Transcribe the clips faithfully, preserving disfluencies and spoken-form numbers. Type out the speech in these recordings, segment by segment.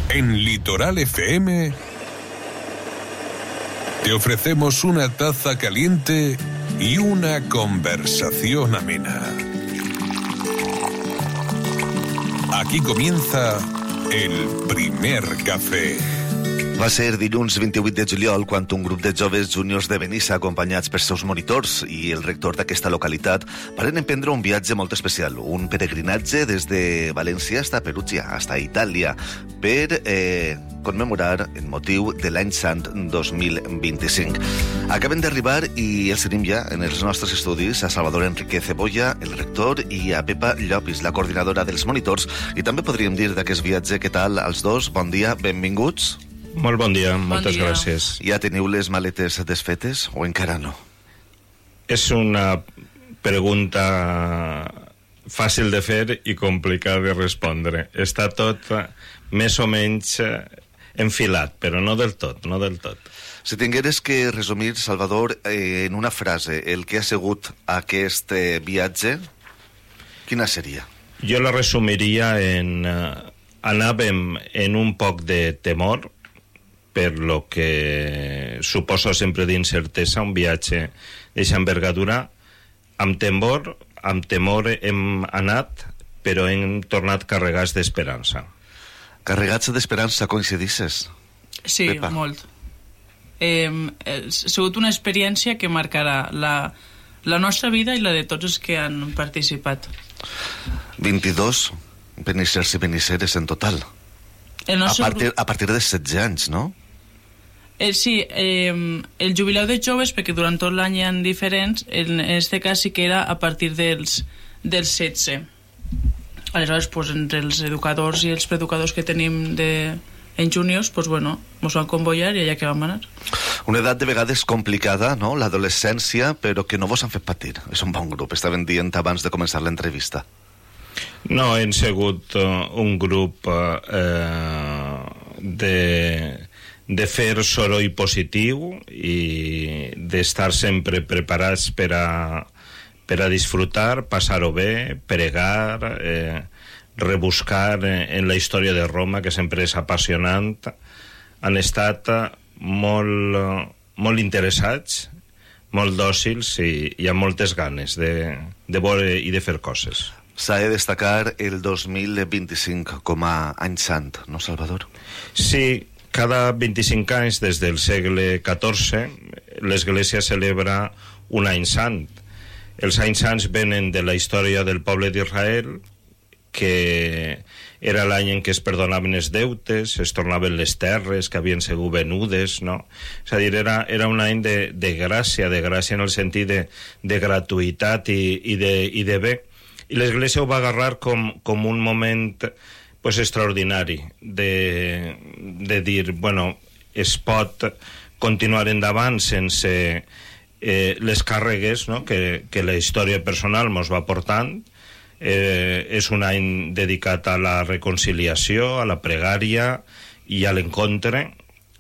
En Litoral F M te ofrecemos una taza caliente y una conversación amena. Aquí comienza el primer café. Va ser dilluns vint-i-vuit de juliol quan un grup de joves júniors de Benissa, acompanyats per seus monitors i el rector d'aquesta localitat, varen emprendre un viatge molt especial, un peregrinatge des de València fins a Perugia, fins a Itàlia, per eh, commemorar el motiu de l'any sant dos mil vint-i-cinc. Acaben d'arribar i els tenim ja en els nostres estudis a Salvador Enrique Cebolla, el rector, i a Pepa Llopis, la coordinadora dels monitors, i també podríem dir d'aquest viatge. Què tal als dos? Bon dia, benvinguts. Molt bon dia, bon moltes dia. gràcies. Ja teniu les maletes desfetes o encara no? És una pregunta fàcil de fer i complicada de respondre. Està tot més o menys enfilat, però no del tot, no del tot. Si tingueres que resumir, Salvador, eh, en una frase, el que ha sigut aquest eh, viatge, quina seria? Jo la resumiria en... Eh, anàvem en un poc de temor, per lo que suposa sempre d'incertesa un viatge d'eixa envergadura. Amb temor, amb temor hem anat, però hem tornat carregats d'esperança. Carregats d'esperança, coincidisses? Sí, Pepa. molt. Eh, ha sigut una experiència que marcarà la, la nostra vida i la de tots els que han participat. vint-i-dos benissers i benisseres en total. El A nostre partir, a partir de setze anys, no? Eh, sí, eh, el jubileu de joves, perquè durant tot l'any hi ha diferents, en aquest cas sí que era a partir dels, dels setze. Aleshores, pues, entre els educadors i els preeducadors que tenim de, en juniors, pues, bueno, ens van convoiar i allà que vam anar. Una edat de vegades complicada, no?, l'adolescència, però que no vos han fet patir. És un bon grup, estaven dient abans de començar l'entrevista. No, hem sigut uh, un grup uh, de, de fer soroll positiu i d'estar sempre preparats per a, per a disfrutar, passar-ho bé, pregar, eh, rebuscar en la història de Roma, que sempre és apassionant. Han estat molt, molt interessats, molt dòcils i, i amb moltes ganes de, de veure i de fer coses. S'ha de destacar el dos mil vint-i-cinc com a any sant, no, Salvador? Sí, cada vint-i-cinc anys des del segle catorze l'Església celebra un any sant. Els anys sants venen de la història del poble d'Israel, que era l'any en què es perdonaven els deutes, es tornaven les terres que havien sigut venudes, no? És a dir, era, era un any de, de gràcia, de gràcia en el sentit de, de gratuïtat i, i, de, i de bé. I l'Església ho va agarrar com, com un moment pues, extraordinari de, de dir, bueno, es pot continuar endavant sense eh, les càrregues, no?, que, que la història personal ens va portant. Eh, és un any dedicat a la reconciliació, a la pregària i a l'encontre,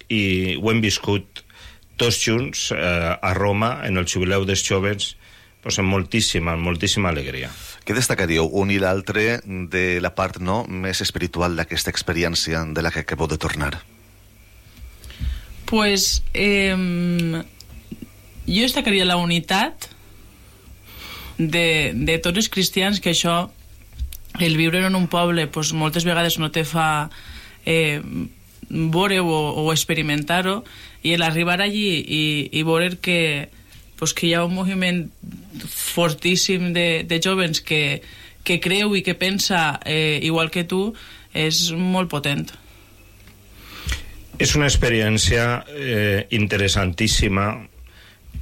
i ho hem viscut tots junts eh, a Roma, en el jubileu dels joves, pues, amb moltíssima, moltíssima alegria. Què destacaríeu un i l'altre de la part, no, més espiritual d'aquesta experiència de la que acabeu de tornar? Pues, eh, jo destacaria la unitat de, de tots els cristians, que això, el viure en un poble, pues, moltes vegades no te fa eh, veure-ho o, o experimentar-ho, i l'arribar allí i, i veure que, pues, que hi ha un moviment fortíssim de, de jovens que, que creu i que pensa eh, igual que tu, és molt potent. És una experiència eh, interessantíssima,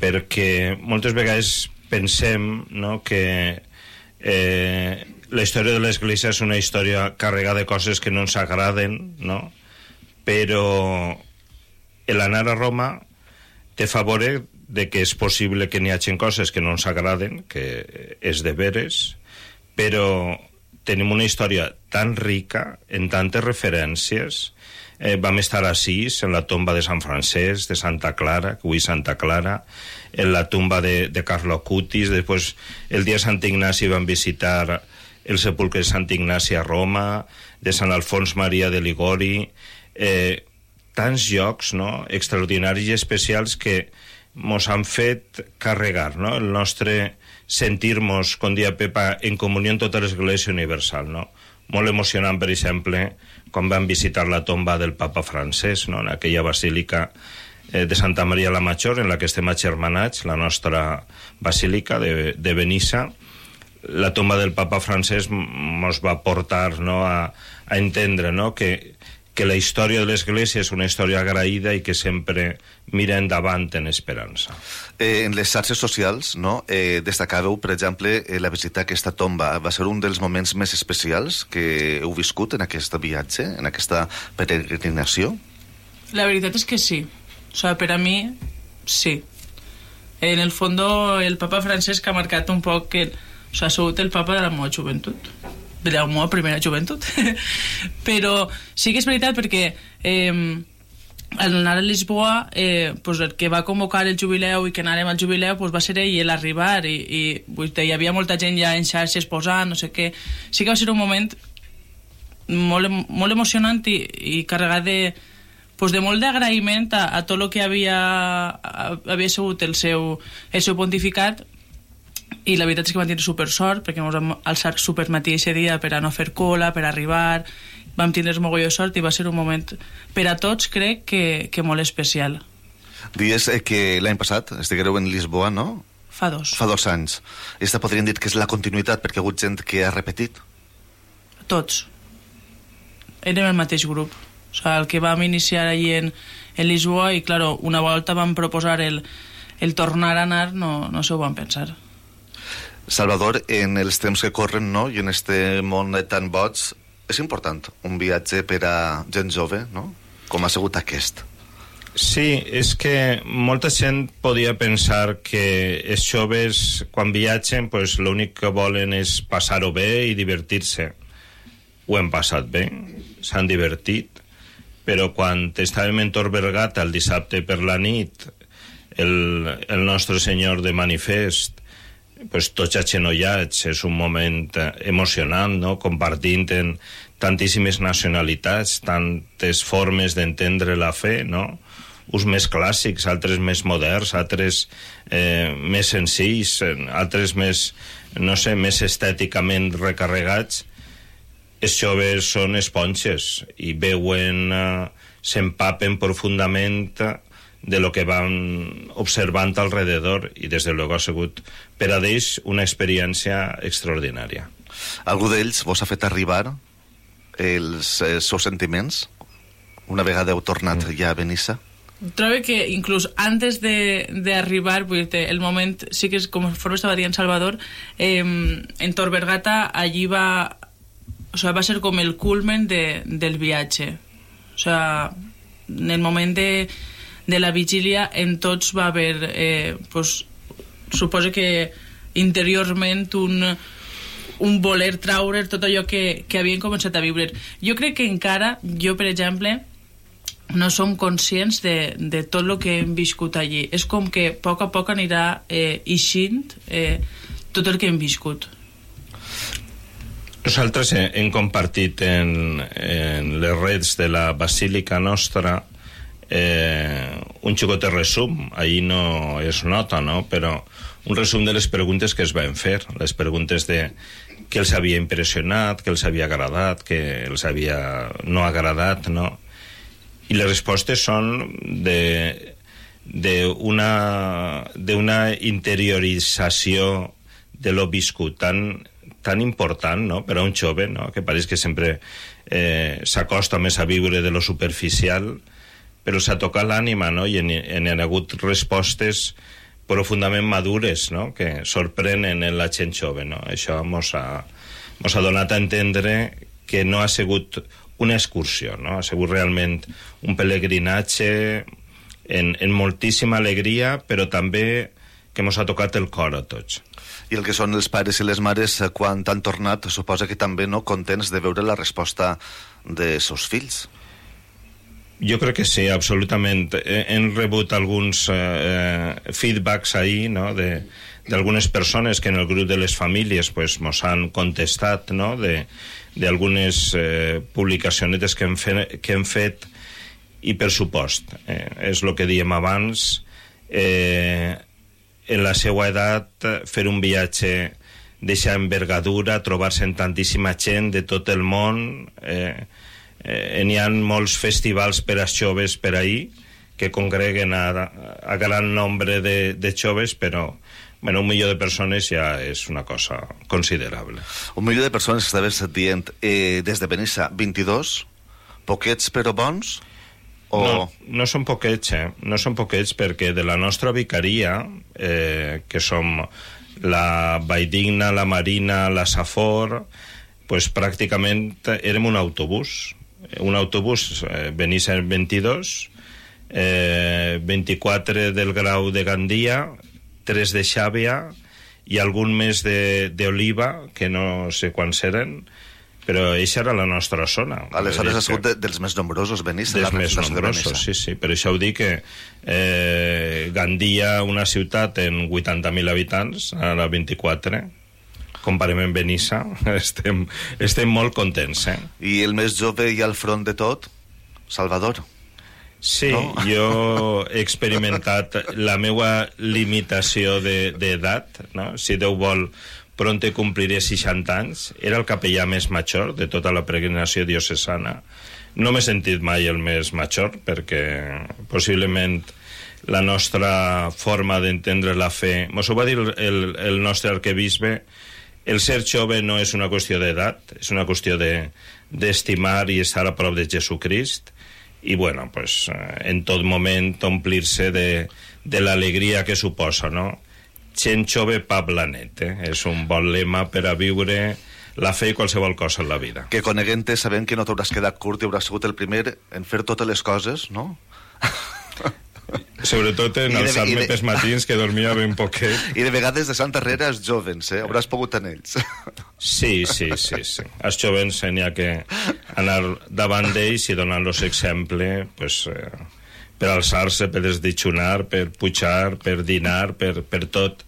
perquè moltes vegades pensem, no, que eh, la història de l'Església és una història carregada de coses que no ens agraden, no? Però l'anar a Roma te fa veure de que és possible que n'hi hagi coses que no ens agraden, que és de veres, però tenim una història tan rica, en tantes referències. Eh, vam estar a Assís, en la tomba de Sant Francesc, de Santa Clara, que avui Santa Clara, en la tumba de, de Carlo Acutis. Després, el dia de Sant Ignasi, vam visitar el sepulcre de Sant Ignasi a Roma, de Sant Alfons Maria de Ligori, eh, tants llocs, no?, extraordinaris i especials que mos han fet carregar, no?, el nostre sentir-nos, com dia Pepa, en comunió amb tota l'Església Universal, no? Molt emocionant, per exemple, quan vam visitar la tomba del papa francès, no?, en aquella basílica eh, de Santa Maria la Major, en la que estem agermanats, la nostra basílica de, de Benissa. La tomba del papa francès ens va portar, no?, a, a entendre, no?, que, que la història de l'Església és una història agraïda i que sempre mira endavant en esperança. Eh, en les xarxes socials, no?, eh, destacàveu, per exemple, eh, la visita a aquesta tomba. Va ser un dels moments més especials que heu viscut en aquest viatge, en aquesta peregrinació? La veritat és que sí. O sea, per a mi, sí. En el fondo, el papa Francesc ha marcat un poc que, o sea, ha sigut el papa de la meva joventut, de la meva primera joventut. Però sí que és veritat perquè eh, al anar a Lisboa, eh, pues el que va convocar el jubileu i que anàrem al jubileu pues va ser ell, el arribar, i, i pues, hi havia molta gent ja en xarxes posant, no sé què. Sí que va ser un moment molt, molt emocionant i, i carregat de, pues de molt d'agraïment a, a tot el que havia, a, havia sigut el seu, el seu pontificat. I la veritat és que vam tenir super sort perquè ens vam alçar super matí aquest dia per a no fer cola, per arribar, vam tenir mogolló de sort i va ser un moment per a tots, crec, que, que molt especial. Dies eh, que l'any passat estiguereu en Lisboa, no? Fa dos. Fa dos anys. I esta podríem dir que és la continuïtat perquè ha hagut gent que ha repetit? Tots. Érem el mateix grup. O sigui, el que vam iniciar allí en, en Lisboa i, claro, una volta vam proposar el, el tornar a anar, no, no s'ho van pensar. Salvador, en els temps que corren, no?, i en este món tan boig, és important un viatge per a gent jove, no?, com ha sigut aquest. Sí, és que molta gent podia pensar que els joves, quan viatgen, pues, l'únic que volen és passar-ho bé i divertir-se. Ho hem passat bé, s'han divertit, però quan estàvem en Tor Vergata el dissabte per la nit, el, el nostre senyor de manifest, pues, tots agenollats, és un moment emocionant, no?, compartint en tantíssimes nacionalitats, tantes formes d'entendre la fe, no?, uns més clàssics, altres més moderns, altres eh, més senzills, altres més, no sé, més estèticament recarregats. Els joves són esponges i veuen, eh, s'empapen profundament de lo que van observant alrededor i des de luego ha sigut per a ells una experiència extraordinària. Algú d'ells vos ha fet arribar els, els seus sentiments una vegada heu tornat mm. ja a Benissa? Trobo que inclús antes d'arribar, el moment, sí que és, com estava dient Salvador, eh, en Tor Vergata allí va, o sea, va ser com el culmen de, del viatge. O sea, en el moment de de la vigília en tots va haver eh, pues, suposo que interiorment un, un voler traure tot allò que, que havien començat a viure. Jo crec que encara, jo per exemple no som conscients de, de tot el que hem viscut allí. És com que a poc a poc anirà eh, eixint eh, tot el que hem viscut. Nosaltres hem compartit en, en les redes de la basílica nostra Eh, un xicotet resum, ahí no es nota, no? Però un resum de les preguntes que es van fer, les preguntes de què els havia impressionat, què els havia agradat, què els havia no agradat, no? I les respostes són de d'una d'una interiorització de lo viscut tan, tan important, no?, per a un jove, no?, que pareix que sempre eh, s'acosta més a viure de lo superficial, però s'ha tocat l'ànima, no?, i en, en han hagut respostes profundament madures, no?, que sorprenen en la gent jove, no? Això mos ha, mos ha donat a entendre que no ha sigut una excursió, no?, ha sigut realment un pelegrinatge en, en moltíssima alegria, però també que mos ha tocat el cor a tots. I el que són els pares i les mares, quan han tornat, suposa que també, no?, contents de veure la resposta dels seus fills. Jo crec que sí, absolutament. Hem rebut alguns eh, feedbacks ahir, no?, de d'algunes persones que en el grup de les famílies pues, mos han contestat, no?, de d'algunes eh, publicacionetes que hem, fe, que hem fet, i per supost, eh, és el que diem abans, eh, en la seva edat fer un viatge d'eixa envergadura, trobar-se amb tantíssima gent de tot el món, eh, eh, n'hi ha molts festivals per als joves per ahir, que congreguen a, a gran nombre de, de joves, però bueno, un milió de persones ja és una cosa considerable. Un milió de persones, estaves dient, eh, des de Benissa, vint-i-dos, poquets però bons? O... No, no són poquets, eh? No són poquets perquè de la nostra vicaria, eh, que som la Valldigna, la Marina, la Safor, pues pràcticament érem un autobús. Un autobús, eh, Benissa vint-i-dos, eh, vint-i-quatre del Grau de Gandia, tres de Xàbia i algun més d'Oliva, que no sé quants eren, però eixa era la nostra zona. Aleshores ha sigut de, dels més nombrosos, Benissa. Dels més nombrosos, sí, sí. Per això ho dic que eh, Gandia, una ciutat en vuitanta mil habitants, ara vint-i-quatre, comparem amb Benissa, estem, estem molt contents, eh? I el més jove i al front de tot, Salvador. Sí, no? Jo he experimentat la meva limitació d'edat, no? Si Déu vol, pronte compliré seixanta anys. Era el capellà més major de tota la peregrinació diocesana. No m'he sentit mai el més major, perquè possiblement la nostra forma d'entendre la fe... Mos ho va dir el, el nostre arquebisbe, el ser jove no és una qüestió d'edat, és una qüestió d'estimar de, i estar a prop de Jesucrist, i bueno, pues, en tot moment omplir-se de, de l'alegria que suposa, no? Gent jove, pa blanet, eh? És un bon lema per a viure la fe i qualsevol cosa en la vida. Que coneguent-te, sabent que no t'hauràs quedat curt i hauràs sigut el primer en fer totes les coses, no? Sobretot en alçar-me pels matins, que dormia ben poquet. I de vegades de Santa Herrera els jovens, eh? Hauràs pogut en ells. Sí, sí, sí, sí. Els jovens n'hi ha que anar davant d'ells i donar-los exemple, pues, eh, per alçar-se, per desditxonar, per pujar, per dinar, per, per tot.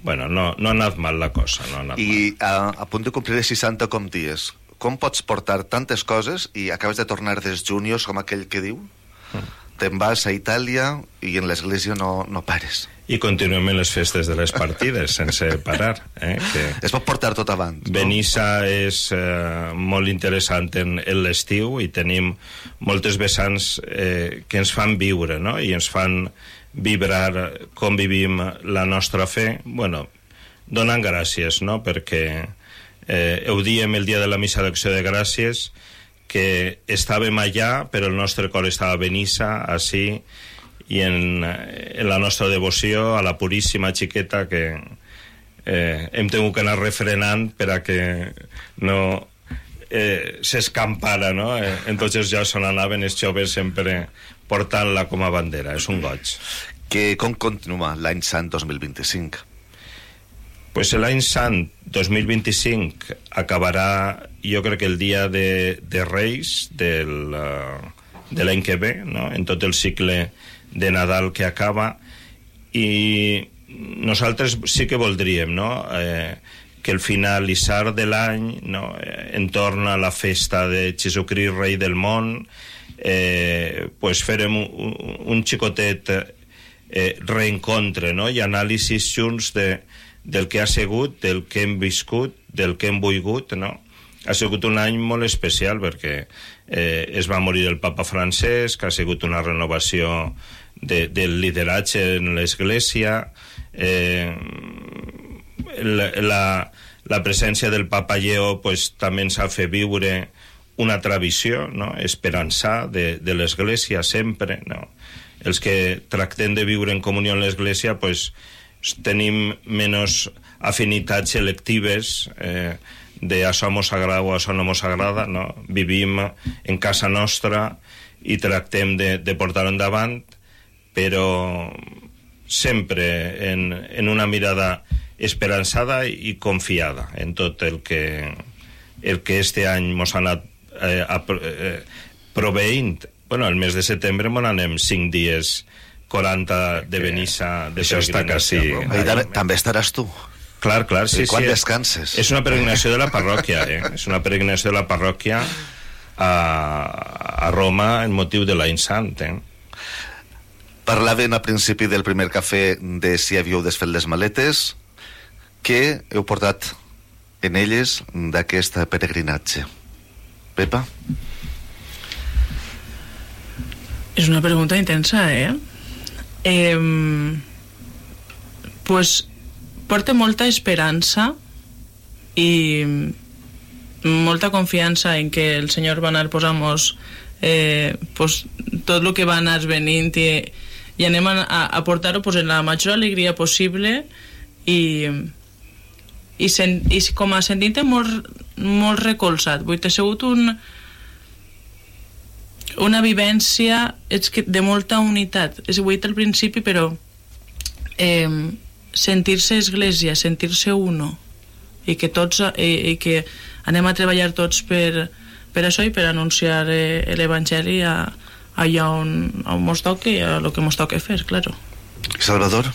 Bueno, no, no ha anat mal la cosa, no ha anat I mal. a, a punt de complir seixanta com dies, com pots portar tantes coses i acabes de tornar dels juniors, com aquell que diu? Mm. Te'n vas a Itàlia i en l'església no, no pares. I continuem en les festes de les partides, sense parar. Eh? Que es pot portar tot abans, no? Benissa és eh, molt interessant en, en l'estiu i tenim moltes vessants eh, que ens fan viure, no? I ens fan vibrar com vivim la nostra fe. Bueno, donant gràcies, no? Perquè eh, ho diem el dia de la missa d'acció de gràcies, que estàvem allà, però el nostre cor estava a Benissa, així, i en, en la nostra devoció a la Puríssima Xiqueta, que eh, hem tingut que anar refrenant per a que no eh, s'escampara, no? Eh, en tots els llocs on anaven els joves sempre portant-la com a bandera. És un goig. Que com continua l'any sant dos mil vint-i-cinc? Pues l'any sant dos mil vint-i-cinc acabarà, jo crec que el dia de, de Reis del, uh, de l'any que ve, no? En tot el cicle de Nadal que acaba, i nosaltres sí que voldríem, no? Eh, que el finalitzar de l'any, no? Eh, entorn a la festa de Jesucrist, rei del món, eh, pues farem un, un xicotet eh, reencontre, no? I anàlisis junts de del que ha sigut, del que hem viscut, del que hem volgut, no? Ha sigut un any molt especial perquè eh, es va morir el papa Francesc, ha sigut una renovació de, del lideratge en l'Església, eh, la, la, la presència del papa Lleó pues, també ens ha fet viure una tradició, no? Esperançar de, de l'Església sempre, no? Els que tractem de viure en comunió amb l'Església, pues, tenim menys afinitats selectives eh, de això mos agrada o això no mos agrada, no? Vivim en casa nostra i tractem de, de portar-ho endavant, però sempre en, en una mirada esperançada i confiada en tot el que el que este any mos ha anat eh, a, eh, proveint Bueno, el mes de setembre m'on anem cinc dies, quaranta de Benissa, de Això està quasi... Ahí també, també estaràs tu. Clar, clar, sí, I quan sí. descanses? És una peregrinació de la parròquia, eh? És una peregrinació de la parròquia a, a Roma en motiu de l'any sant, eh? Parlaven al principi del primer cafè de si havíeu desfet les maletes. Què heu portat en elles d'aquest peregrinatge? Pepa? És una pregunta intensa, eh? eh pues porta molta esperança i molta confiança en que el Senyor va anar posant-nos eh, pues, tot el que va anar venint i, i anem a, a portar-ho pues, en la major alegria possible i, i, sen, i com a sentint-te molt, molt recolzat. Vull dir, ha sigut un, una vivència és que de molta unitat. És, ho he dit al principi, però eh, sentir-se església, sentir-se uno, i que tots i, i que anem a treballar tots per, per això i per anunciar eh, l'Evangeli a, allà on, on mos toque i a lo que mos toque fer, claro. Salvador?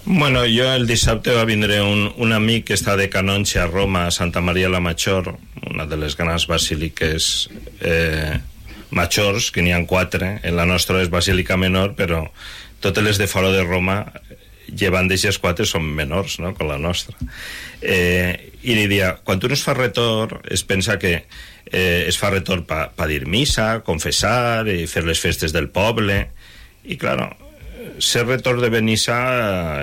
Bueno, jo el dissabte va vindre un, un amic que està de canonge a Roma, a Santa Maria la Major, una de les grans basíliques eh, majors, que n'hi ha quatre. En la nostra és basílica menor, però totes les de fora de Roma, llevant d'eixes quatre, són menors, no?, com la nostra. Eh, I li dia, quan tu no es fa retorn, es pensa que eh, es fa retorn per pa dir missa, confessar, i fer les festes del poble, i, claro, ser retorn de Benissa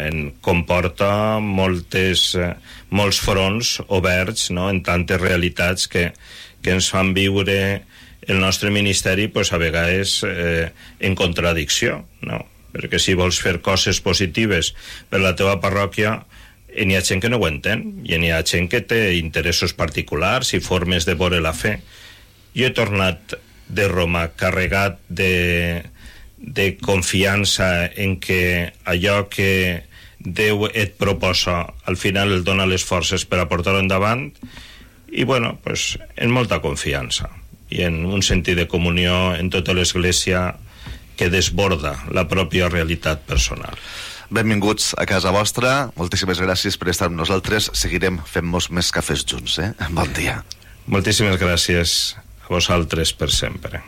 en comporta moltes, eh, molts fronts oberts, no?, en tantes realitats que, que ens fan viure el nostre ministeri, pues, a vegades eh, en contradicció, no?, perquè si vols fer coses positives per la teva parròquia, n'hi ha gent que no ho entén, i n'hi ha gent que té interessos particulars i formes de veure la fe. Jo he tornat de Roma carregat de, de confiança en que allò que Déu et proposa, al final el dona les forces per a portar-ho endavant, i, bueno, pues, en molta confiança i en un sentit de comunió en tota l'Església que desborda la pròpia realitat personal. Benvinguts a casa vostra, moltíssimes gràcies per estar amb nosaltres, seguirem fent-nos més cafès junts, eh? Bon dia. Moltíssimes gràcies a vosaltres per sempre.